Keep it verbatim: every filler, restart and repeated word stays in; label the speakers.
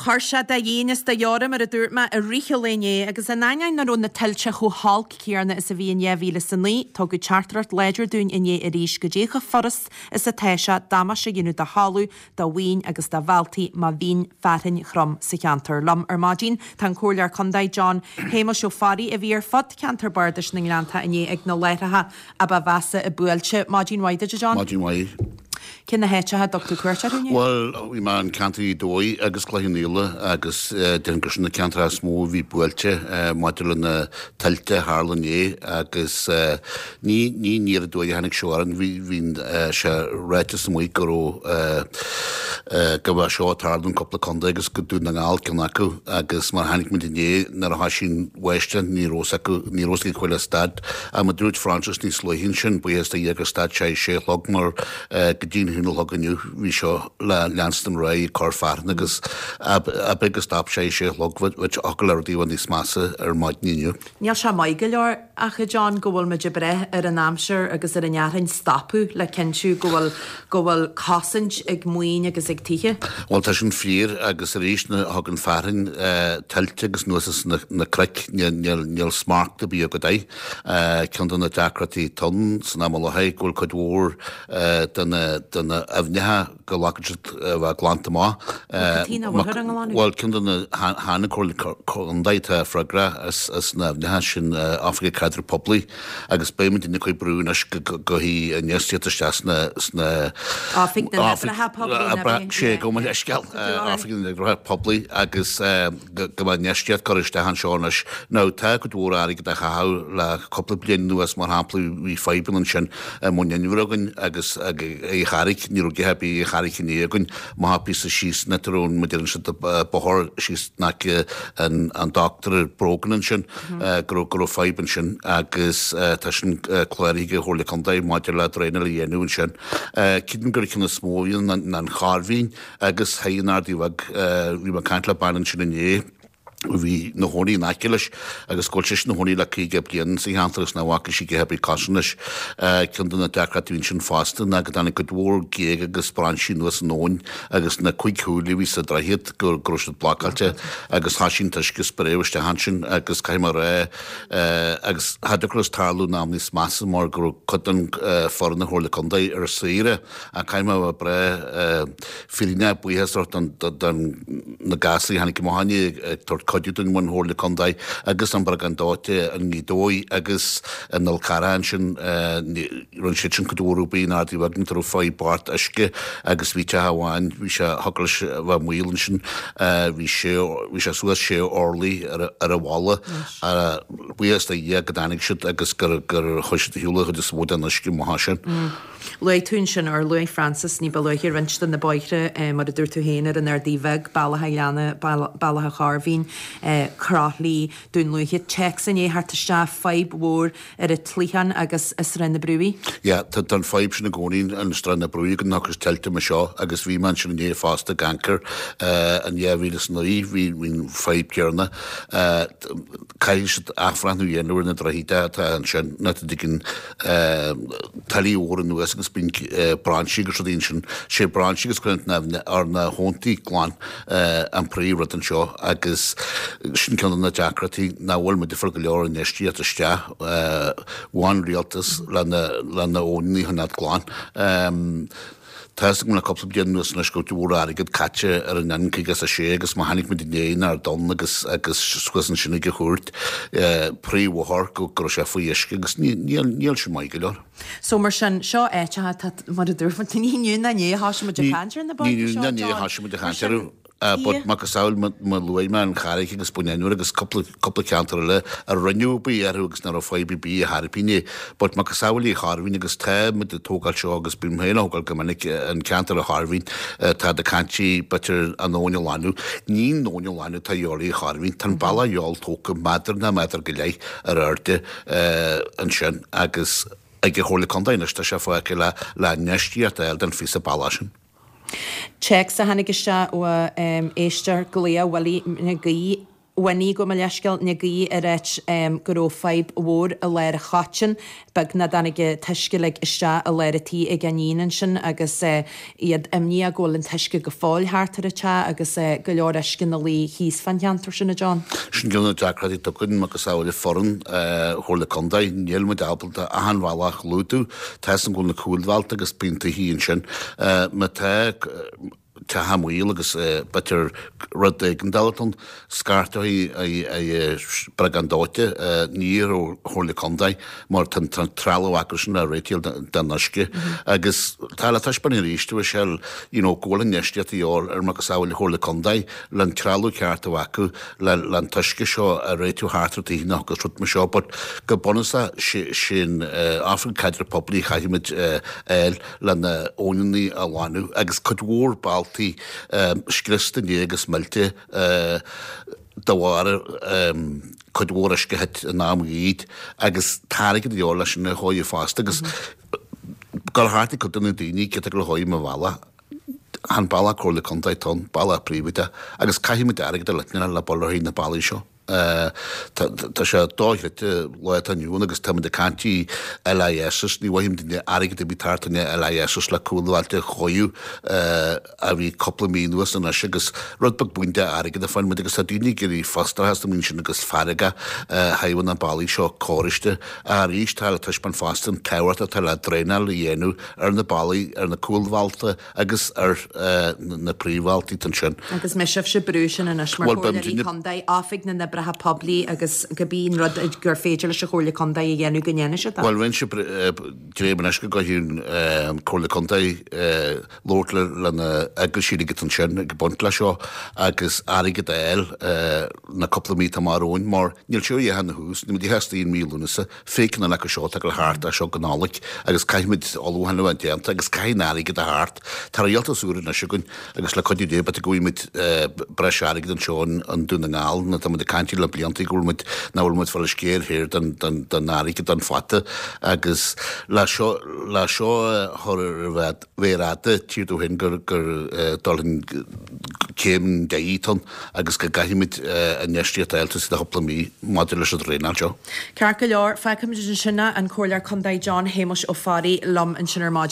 Speaker 1: Chuir sé de dhéine is de dheora, mar a dúirt mé, i rith an lae inné, agus in ainneoin nach raibh na tuilte chomh holc céanna is a bhí in dhá mhíle is a naoi, tugadh teachtaireacht láidir dúinn inné arís goidé chomh furast is atá sé damáiste a dhéanamh do thalamh, do mhaoin agus do bhealtaí má bhíonn fearthainn throm sa cheantar. Liom ar maidin tá an Comhairleoir Contae John Shéamuis Ó Fearraigh a bhí ar fud cheantar bardais na nGleanntach inné ag na láithreacha a ba mheasa a buailte. Maidin mhaith duit, a John.
Speaker 2: Maidin mhaith.
Speaker 1: Cé na háiteacha a dtug tú cuairt orthu inné?
Speaker 2: Bhuel, bhí mé in ceantar Ghaoth Dobhair agus Cloich Cheann Fhaola agus déarfainn gur sin na ceantracha is mó a bhí buailte maidir le na tuilte a tharla inné agus ní ní aniar aduaidh a tháinig seo orainn, bhí bhí sé ráite amuigh go raibh go raibh seo ag tarlú in cúpla contae agus go Dún na nGall ceann acu agus mar a chonaic muid inné nuair a thoisigh an bháisteach ní raibh fhios acu ní raibh fhios ag chuile stad ach mar a dúirt Francis níos luaithe ansin buíochas do Dhia gur stad sé ag sé a chlog mar go dtí an haon a chlog inniu bhí seo le leanstan ar aghaidh ag cur fearthainne agus ab é go stop sé ag sé a chlog thiocfadh le rudaí a bheith níos measa ar maidin inniu.
Speaker 1: Níl sé maith go leor ach a John go bhfuil muid ag brath ar an aimsir agus ar an fhearthainn stopadh le cinntiú go bhfuil go bhfuil cosaint ag maoin agus ag tithe.
Speaker 2: Bhuel tá sin fíor agus arís nuair a thagann fearthainn tuilte agus anuas as na cnoic níl níl smacht ar bith agat air. Ceann de na deacrachtaí atá ann san am i láthair go bhfuil cuid mhór de na de na aibhneacha go bhfágann siad a bheith glanta amach. Bhuel ceann de na chan an Chomhairle Contae atá freagrach as as na haibhneacha sin Oifig Caidrimh Poiblí agus beidh muid ag cur brú anois go go hí infheistíocht isteach sna sna
Speaker 1: Oifig na nOibreacha Poiblí
Speaker 2: Sé gabh mo leithscéal Oifig na nOibreacha Poiblí agus go go mbeidh infheistíocht curtha isteach anseo anois. Now tá cuid mhór airgead á chaitheamh le cúpla bliain anuas mar shampla bhí fadhbanna ansin i mBun Inbhir againn agus ag an Charraig, ní raibh a dhath ar bith ag an Charraig inné againn, amach píosa síos na treo mar a deireann siad bóthar síos in aice an an Doctor Brogan ansin go raibh go raibh fadhb ansin agus tá sin cláraithe ag an Chomhairle Contae maidir le draenáil a dhéanamh ansin. Creidim gur an ceann is mó a bhí ann ná an Chairbhín agus thoir in Ardaí Bheag bhí mé ag caint le bean ansin inné, bhí ina chónaí in aice leis agus go bhfuil sise ina chónaí le caoga bliain sa cheantar agus nach bhfaca sí a dhath ar bith cosúil leis. Ceann de na deacrachtaí a bhí ansin fosta ná go dtáinig cuid mhór géag agus brainsí anuas an abhainn agus na cúig shúil a bhí sa droichead go raibh siad blocáilte agus thoisigh an t-uisce ag spréadh isteach ansin agus caithfidh mé a rá agus cha dtiocfadh leis tarlú in am níos measa mar go raibh cuid den foireann na Comhairle Contae ar saoire ach caithfidh mé a bheith breá fírinneach buíochas a thabhairt don na gasúir a tháinig amach inné ag tabhairt cuidiú don Chomhairle Contae agus an briogáid dóite i nGaoth Dobhair agus in Fhál Carrach ansin rinne siad sin cuid mhór oibre in Ardaí Bheag nuair a raibh fadhb bocht uisce agus bhí teach amháin bhí sé thiocfadh leis a bheith i mbaol ansin bhí sé bhí sé suas sé orlaí ar ar an bhalla buíochas do Dhia go dtáinig siad agus gur gur chuir siad ar shiúl an chuid is mó den uisce amach ansin.
Speaker 1: Luaigh tú ansin, or luaigh Francis ní ba luaithe, roinnt de na bóithre, mar a dúirt tú féin, ar an Ardaí Bheag, Bealach a' Ghleanna, Bealach a' Chairbhín, Croithlí, Dún Lúiche, téacs i ndiaidh theacht isteach, fadhb mhór ar an tSligeán agus i Srath na Brúighe.
Speaker 2: Yeah, tá an fadhb sin i gcónaí in Srath na Brúighe go dtiocfas tuilte mar seo agus bhí mé ansin inné fosta ag amharc air in dhá mhíle is a naoi, bhí an fadhb céanna. Caithfidh siad athbhreithniú a dhéanamh ar na droichid atá ansin, nuair a thagann tuile mhór anuas agus bíonn brainsí agus rudaí ansin. Sé brainsí agus coinneáil ar na habhantaí glan an príomh rud anseo agus sin ceann de na deacrachtaí nach bhfuil muid ag fáil go leor infheistíocht isteach ón rialtas le na habhannaí a choinneáil glan. Tá a fhios agam le cúpla bliain anuas anois go raibh cuid mhór airgead caite ar an N caoga is a sé agus má chonaic muid inné in Ard Donn agus agus suas ansin ag an chúirt, príomhbhóthar go go raibh sé faoi uisce agus níl níl sin maith go leor.
Speaker 1: So mar sin, seo áiteacha atá, mar a dúirt muid, ní inniu ná inné a thosaigh muid ag caint ar na
Speaker 2: bóithre seo, Ní inniu ná inné a thosaigh muid ag caint orthu. But macasamhail má luaigh mé an Charraig agus Bun Inbhir agus cúpla cúpla ceantar eile a rinneadh obair orthu agus nach raibh fadhb ar bith ar chor ar bith inné. But macasamhail an Chairbhín agus tá muid ag tógáil seo agus bím féin á thógáil go minic an ceantar an Chairbhín tá ag caint b'fhéidir an abhainn a ghlanadh. Ní an abhainn a ghlanadh atá a dhíobháil ar an Chairbhín. Tá an bealach a dhíobháil tógtha méadar ná méadar go leith ar airde ansin agus ag an Chomhairle Contae anois tá sé fágtha le le infheistíocht a fháil don phíosa bealach sin.
Speaker 1: Téacs a tháinig isteach ó éisteoir Glaodh Willie na Gaoith Winnie, gabh mo leithscéal, Nic Aoidh ag ráit go raibh fadhb mhór i lár an Choitín, beagnach dtáinig an t-uisce uilig isteach i lár an tí ag a n-iníon ansin agus iad imníoch go bhfuil an t-uisce go fóill thart ar an teach agus go leor uisce ina luí thíos fán cheantar sin, a John.
Speaker 2: Sin ceann de na deacrachtaí atá againn macasamhail foireann Chomhairle Contae. Níl muid ábalta achan bhealach a chlúdú. Tá 'fhios a'm go bhfuil na cúlbhealta agus bíonn tithí ansin. Má tá teach i mbaol agus b'fhéidir rud éigeandála ann, scairteoidh briogáid dóite ní ar Chomhairle Contae mar tá an trealamh acu sin le réiteach den uisce. Agus tá le taispeáint arís a Mhichelle, you know, go bhfuil infheistíocht de dhíobháil ar macasamhail Chomhairle Contae le an trealamh ceart a bheith acu le le an t-uisce seo a réiteach thart ar tithe agus rud mar seo but go bunúsach sin Oifig Caidreamh Poiblí chaithfimid fháil le na abhainneanna a ghlanadh agus cuid mhór bealtaí scriosta inné agus millte de bharr cuid mhór uisce a thit in am gaoth agus tá airgead de dhíobháil leis sin a chóiriú fosta agus gabháil thart ag cuid de na daoine cé atá ag gabháil a chóiriú mo bhealach, chan bealach Comhairle Contae atá ann, bealach príobháideach agus caithfimid airgead a leitneáil le bul ar thaobh na bealaí seo. Tá sé dochreidte lá atá inniu ann agus táimid ag caint i LISs, ní mhothaím duine airgead ar bith thart in LISs le cúlbhailte a chóiriú a bhí cúpla mí anuas anois agus rud beag buan de airgead a fuair muid agus tá daoine ag iarraidh frustrachas na sin agus fearg thaobh na bealaí seo cóiriste. Arís tá le taispeáint fosta an tábhacht atá le draenáil a dhéanamh ar na bealaí, ar na cúlbhailte agus ar na príomhbhealtaí ansin.
Speaker 1: Agus mbeidh sibhse ag brú sin anois mar Chomhairleoirí Contae, Oifig na nOibreacha Poiblí agus cibé an rud gur féidir leis an Chomhairle Contae a dhéanamh go ndéanfaidh siad é.
Speaker 2: Bhuel, rinne sibh dréim anois go gcaithfidh an Chomhairle Contae labhairt le na eaglaisí uilig ansin ag baint leis seo agus airgead a fháil na cúpla mí atá amach romhainn mar níl sé a dhath ina thús, níl muid a theastaíonn mí Lúnasa, féach na leaca seo atá ag dul thart as seo go Nollaig agus caithfimid ullmhúchán a bheith déanta agus caithfidh an airgead a theacht. Tá rialtas úr anois againn agus le cuidiú Dé b'fhéidir go bhfaighimid breis airgid anseo i nDún na nGall nó tá muid ag caint le blianta go bhfuil muid nach bhfuil muid fáil a sciar thiar den den den airgead don fata agus le seo le seo a chur ar a mhéar fhada tír ó shin gur gur dul chun céim deiridh atá ann agus go gcaithfimid infheistíocht a fháil sa chúpla mí maidir leis an draenáil seo.
Speaker 1: Ceart go leor, fágfaimid ansin é, an Comhairleoir Contae John Shéamuis Ó Fearraigh liom ansin ar maidin.